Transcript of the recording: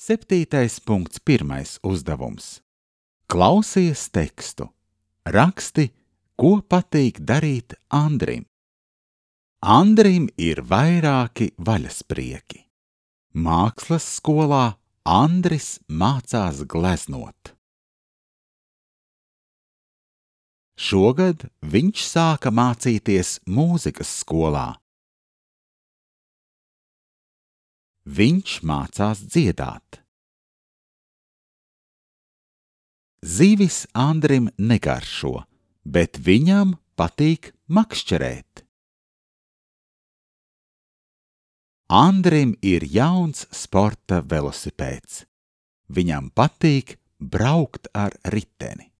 7.1. uzdevums. Klausies tekstu. Raksti, ko patīk darīt Andrim. Andrim ir vairāki vaļasprieki. Mākslas skolā Andris mācās gleznot. Šogad viņš sāka mācīties mūzikas skolā. Viņš mācās dziedāt. Zivis Andrim negaršo, bet viņam patīk makšķerēt. Andrim ir jauns sporta velosipēds. Viņam patīk braukt ar riteni.